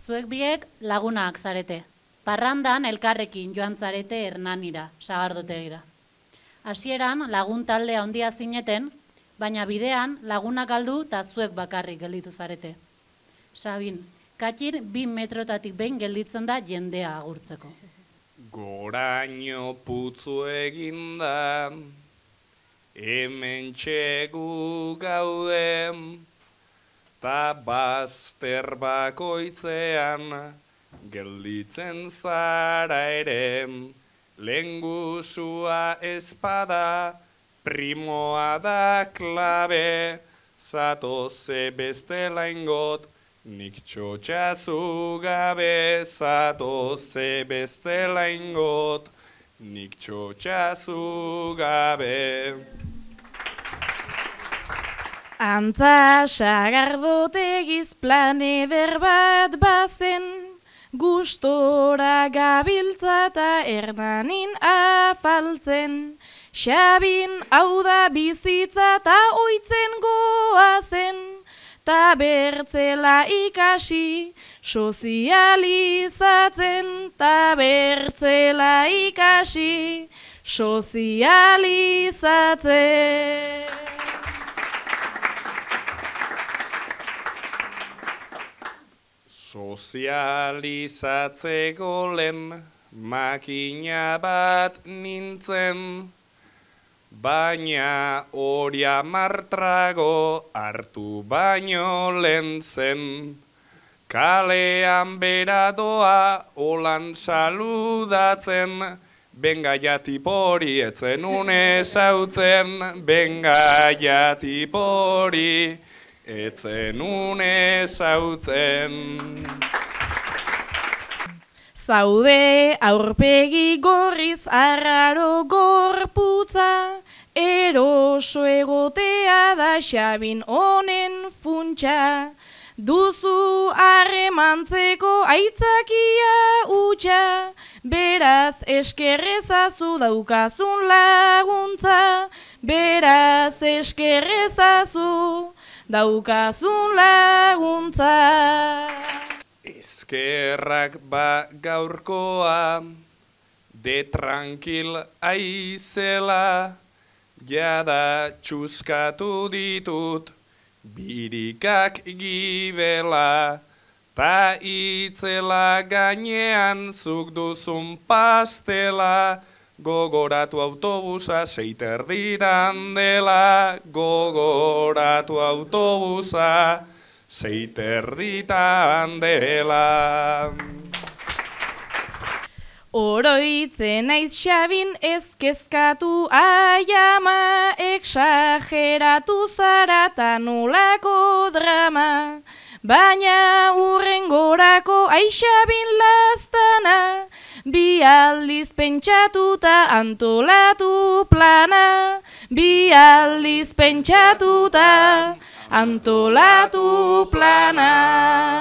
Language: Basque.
Zuek biek lagunak zarete. Parrandan elkarrekin joan zarete Hernanira, Sagardotegira. Hasieran lagun talde handia zineten, baina bidean lagunak galdu eta zuek bakarrik gelditu zarete. Sabin, Katxir 2 metrotatik behin gelditzen da jendea agurtzeko. Goraino putzu eginda, hemen txegu gaude, ta bazter bakoitzean gelditzen zara ere, lehengusua espada, primoa da klabe, zatoze bestela ingot, nik txotxazu gabe, zatoze bestela ingot, nik txotxazu gabe. Antza Sagardotegiz plan eder bat bazen, gustora gabiltza eta Hernanin afaltzen. Sabin hau da bizitza eta oitzen goazen, ta bertzela ikasi sozializatzen, ta bertzela ikasi sozializatzen. Sozializatzeko lehen makina bat nintzen, baina hori amartrago hartu baino lehen zen. Kalean beradoa holan saludatzen, benga jatipori etzen unezautzen, benga jatipori etzen unezautzen. Zaude aurpegi gorriz arraro gorputza, eroso egotea da Sabin honen funtsa. Duzu harremantzeko aitzakia utxa, beraz eskerrezazu daukazun laguntza, beraz eskerrezazu daukazun laguntza. Eskerrak ba gaurkoa, de tranquil aizela, jada txuskatu ditut, birikak gibela, ta itzela gainean zuk duzun pastela, gogoratu autobusa 6:30 dela, gogoratu autobusa 6:30 dela. Oroitzen naiz Sabin ez kezkatu aiama, exageratu zara ta nolako drama. Baina hurrengorako ai Sabin laztana, bi aldiz pentsatuta antolatu plana, bi aldiz pentsatuta antolatu plana.